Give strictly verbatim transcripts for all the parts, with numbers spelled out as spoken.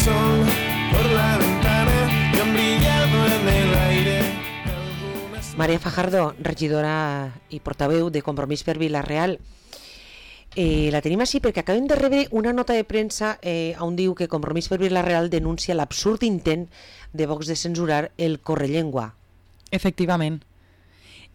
sol por la ventana y han brillado en el aire. Maria Fajardo, regidora i portaveu de Compromís per Vila-real. Eh, la tenim així perquè acabem de rebre una nota de premsa eh, on diu que Compromís per Vila-real denuncia l'absurd intent de Vox de censurar el Correllengua. Efectivament.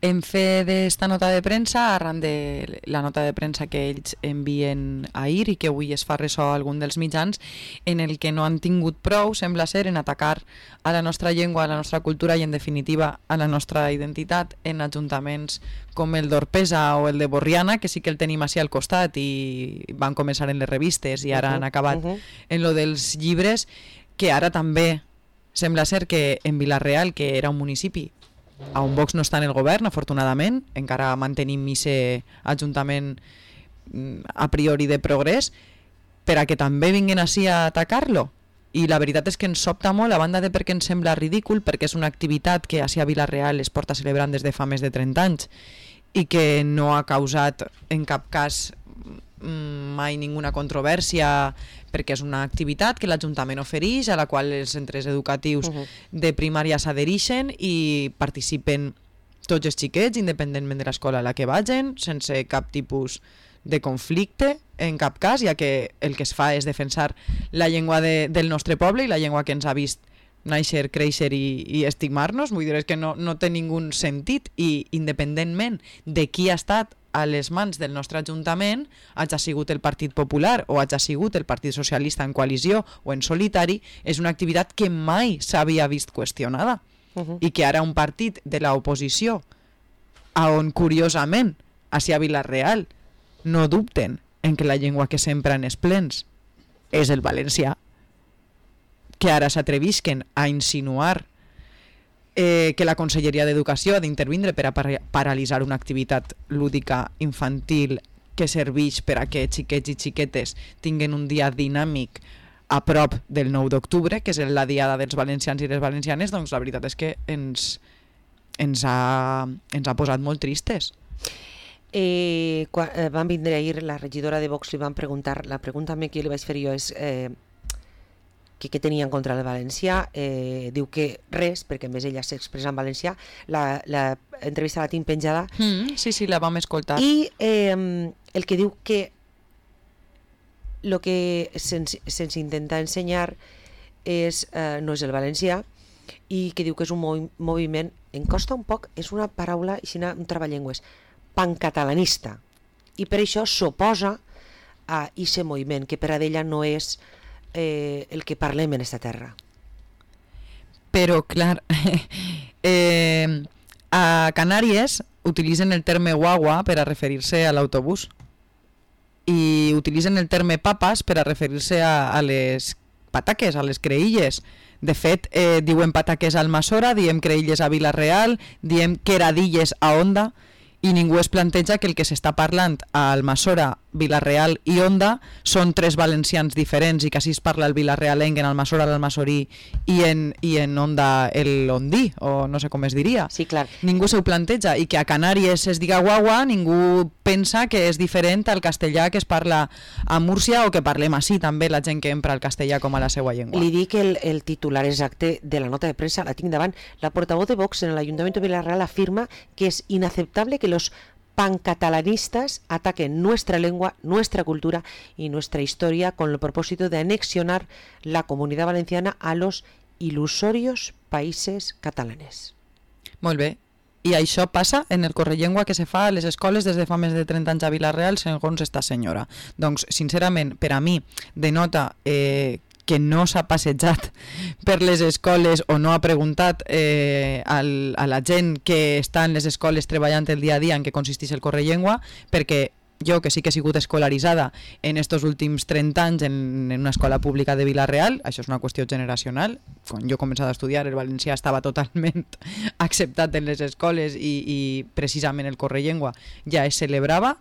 Hem fet esta nota de premsa arran de la nota de premsa que ells envien ahir i que avui es fa ressò a algun dels mitjans, en el que no han tingut prou, sembla ser, en atacar a la nostra llengua, a la nostra cultura i en definitiva a la nostra identitat en ajuntaments com el d'Orpesa o el de Borriana, que sí que el tenim així al costat i van començar en les revistes i ara uh -huh, han acabat uh -huh. en lo dels llibres, que ara també sembla ser que en Vila-real, que era un municipi on Vox no està en el govern, afortunadament, encara mantenim aquest ajuntament a priori de progrés, per a que també vinguin així a atacar-lo. I la veritat és que ens sobta molt, a banda de perquè ens sembla ridícul, perquè és una activitat que així a Vila-real es porta celebrant des de fa més de trenta anys i que no ha causat en cap cas mai ninguna controvèrsia, perquè és una activitat que l'Ajuntament ofereix, a la qual els centres educatius uh -huh. de primària s'adhereixen i participen tots els xiquets, independentment de l'escola a la que vagin, sense cap tipus de conflicte, en cap cas, ja que el que es fa és defensar la llengua de, del nostre poble i la llengua que ens ha vist néixer, créixer i, i estimar-nos. Vull dir, és que no, no té ningú sentit, i independentment de qui ha estat a les mans del nostre Ajuntament, hagi sigut el Partit Popular o hagi sigut el Partit Socialista en coalició o en solitari, és una activitat que mai s'havia vist qüestionada uh -huh. i que ara un partit de l'oposició, on curiosament, així a Vila-real, no dubten en que la llengua que s'empra en els plens és el valencià, que ara s'atrevisquen a insinuar Eh, que la Conselleria d'Educació ha d'intervindre per a par paralitzar una activitat lúdica infantil que serveix per a que xiquets i xiquetes tinguin un dia dinàmic a prop del nou d'octubre, que és la diada dels valencians i les valencianes. Doncs la veritat és que ens, ens, ha, ens ha posat molt tristes. Eh, quan eh, van vindre ahir la regidora de Vox, li van preguntar, la pregunta que li vaig fer jo és eh, que què tenia en contra del valencià. Eh, diu que res, perquè a més ella s'expressa en valencià. La, la entrevista la tinc penjada. Mm, sí, sí, la vam escoltar. I eh, el que diu que el que se'ns se intenta ensenyar és, eh, no és el valencià, i que diu que és un movi moviment, em costa un poc, és una paraula, un travallengües, pancatalanista, i per això s'oposa a aquest moviment, que per a ella no és Eh, el que parlem en esta terra. Però, clar, eh, a Canàries utilitzen el terme guagua per a referir-se a l'autobús i utilitzen el terme papas per a referir-se a, a les pataques, a les creïlles. De fet, eh, diuen pataques a Almassora, diem creïlles a Vila-real, diem queradilles a Onda, i ningú es planteja que el que s'està parlant a Almassora, Vila-real i Onda són tres valencians diferents i que així es parla el vilarealenc, en Almassora l'almassorí i en, i en Onda el ondí, o no sé com es diria. Sí, clar. Ningú s'ho planteja, i que a Canàries es diga guagua, ningú pensa que és diferent al castellà que es parla a Múrcia o que parlem així també la gent que empra el castellà com a la seva llengua. Li dic el, el titular exacte de la nota de premsa, la tinc davant. La portavoz de Vox en el Ayuntamiento de Vila-real afirma que es inaceptable que los pancatalanistas ataquen nuestra lengua, nuestra cultura y nuestra historia con el propósito de anexionar la Comunidad Valenciana a los ilusorios países catalanes. Molt bé. I això passa en el correllengua que se fa a les escoles des de fa més de trenta anys a Vila-real, segons esta senyora. Doncs, sincerament, per a mi, denota eh, que no s'ha passejat per les escoles o no ha preguntat eh, al, a la gent que està en les escoles treballant el dia a dia en què consisteix el correllengua, perquè jo, que sí que he sigut escolaritzada en estos últims trenta anys en, en una escola pública de Vila-real, això és una qüestió generacional. Quan jo he començat a estudiar, el valencià estava totalment acceptat en les escoles i, i precisament el correllengua ja es celebrava,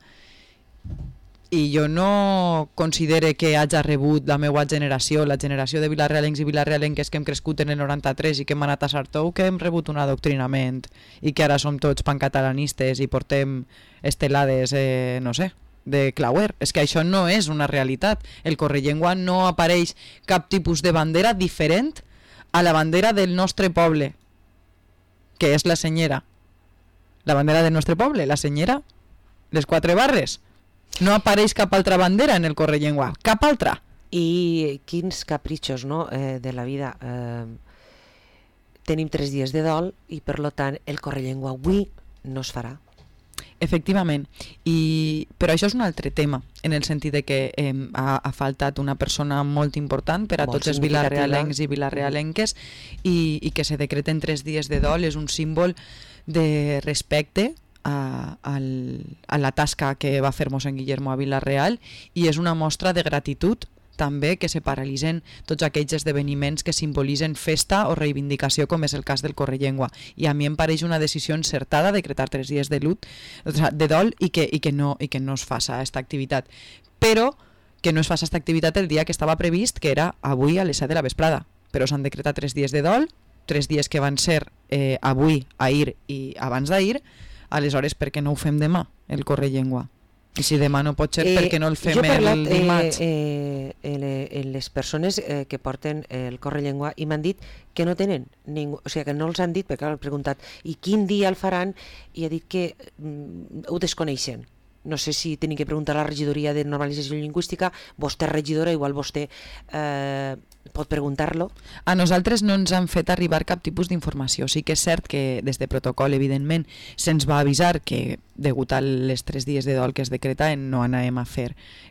i jo no considere que hagi rebut la meva generació, la generació de vilarealencs i vilarealenques que hem crescut en el noranta-tres i que hem anat a Sartou, que hem rebut un adoctrinament i que ara som tots pancatalanistes i portem estelades, eh, no sé, de Clauer. És que això no és una realitat. El Correllengua no apareix cap tipus de bandera diferent a la bandera del nostre poble, que és la senyera. La bandera del nostre poble, la senyera, les quatre barres. No apareix cap altra bandera en el Correllengua, cap altra. I quins capritxos, no?, eh, de la vida. Eh, tenim tres dies de dol i, per lo tant, el Correllengua avui no es farà. Efectivament, I, però això és un altre tema, en el sentit de que eh, ha, ha faltat una persona molt important per a Molt tots els vilarealencs i vilarealenques i, i que se decreten tres dies de dol és un símbol de respecte a, al, a la tasca que va fer mossèn Guillermo a Vila-real i és una mostra de gratitud també que se paralitzen tots aquells esdeveniments que simbolitzen festa o reivindicació, com és el cas del Correllengua. I a mi em pareix una decisió encertada decretar tres dies de lut, o sigui, de dol i que, i que, no, i que no es faça aquesta activitat. Però que no es faça aquesta activitat el dia que estava previst, que era avui a les set de la vesprada. Però s'han decretat tres dies de dol, tres dies que van ser eh, avui, ahir i abans d'ahir, aleshores per què no ho fem demà, el Correllengua? I si demà no pot ser, eh, per què no el fem parlat, el dimarts? Eh, eh, eh, les persones eh, que porten el Correllengua i m'han dit que no tenen ningú, o sigui que no els han dit, perquè han preguntat i quin dia el faran, i ha dit que mm, ho desconeixen. No sé si tenim que preguntar a la regidoria de normalització lingüística, vostè regidora, igual vostè eh, pot preguntar-lo. A nosaltres no ens han fet arribar cap tipus d'informació. Sí que és cert que des de protocol, evidentment, se'ns va avisar que, degut a les tres dies de dol que es decretaven, no anàvem a fer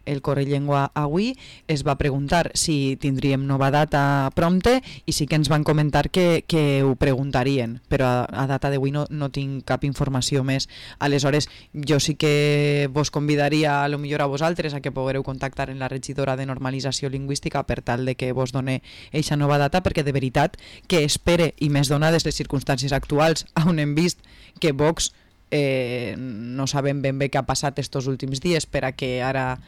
el Correllengua avui. Es va preguntar si tindríem nova data prompte i sí que ens van comentar que, que ho preguntarien, però a, a data d'avui no, no tinc cap informació més. Aleshores, jo sí que vos convidaria a lo millor a vosaltres a que poguereu contactar en la regidora de normalització lingüística per tal de que vos done eixa nova data, perquè de veritat que espere, i més donades les circumstàncies actuals, on hem vist que Vox eh, no sabem ben bé què ha passat estos últims dies per a que ara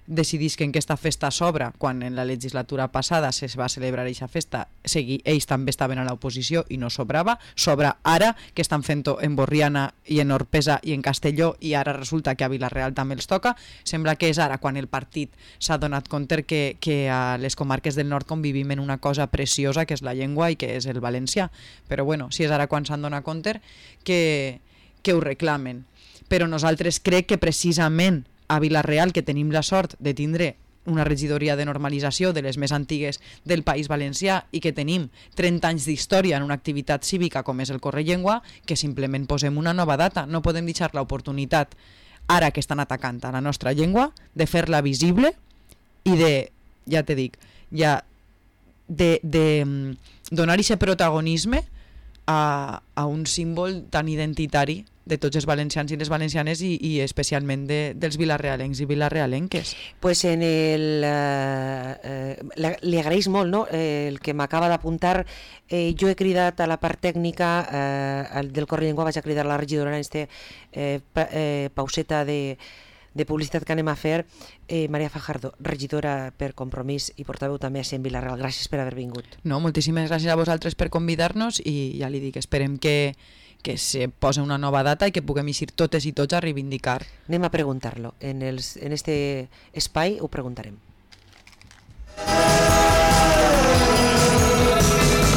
decidisquen que aquesta festa s'obra, quan en la legislatura passada se va celebrar aquesta festa, segui, ells també estaven a l'oposició i no sobrava, sobra ara que estan fent-ho en Borriana i en Orpesa i en Castelló i ara resulta que a Vila-real també els toca. Sembla que és ara quan el partit s'ha donat compte que, que a les comarques del nord convivim en una cosa preciosa que és la llengua i que és el valencià, però bueno, si és ara quan s'han donat compte que, que ho reclamen. Però nosaltres crec que precisament a Vila-real, que tenim la sort de tindre una regidoria de normalització de les més antigues del País Valencià i que tenim trenta anys d'història en una activitat cívica com és el Correllengua, que simplement posem una nova data. No podem deixar l'oportunitat, ara que estan atacant a la nostra llengua, de fer-la visible i de, ja te dic, ja de, de donar aquest protagonisme a, a un símbol tan identitari de tots els valencians i les valencianes i, i especialment de, dels vilarealencs i vilarealenques. Pues en el, eh, eh, li agraeix molt, no?, eh, el que m'acaba d'apuntar. Eh, jo he cridat a la part tècnica eh, del Correllengua, vaig a cridar a la regidora en este eh, pa, eh, pauseta de, de publicitat que anem a fer. eh, Maria Fajardo, regidora per Compromís i portaveu també a Cent Vila-real. Gràcies per haver vingut. No, moltíssimes gràcies a vosaltres per convidar-nos i ja li dic, esperem que que se posa una nova data i que puguem eixir totes i tots a reivindicar. Anem a preguntar-lo. En, els, en este espai ho preguntarem.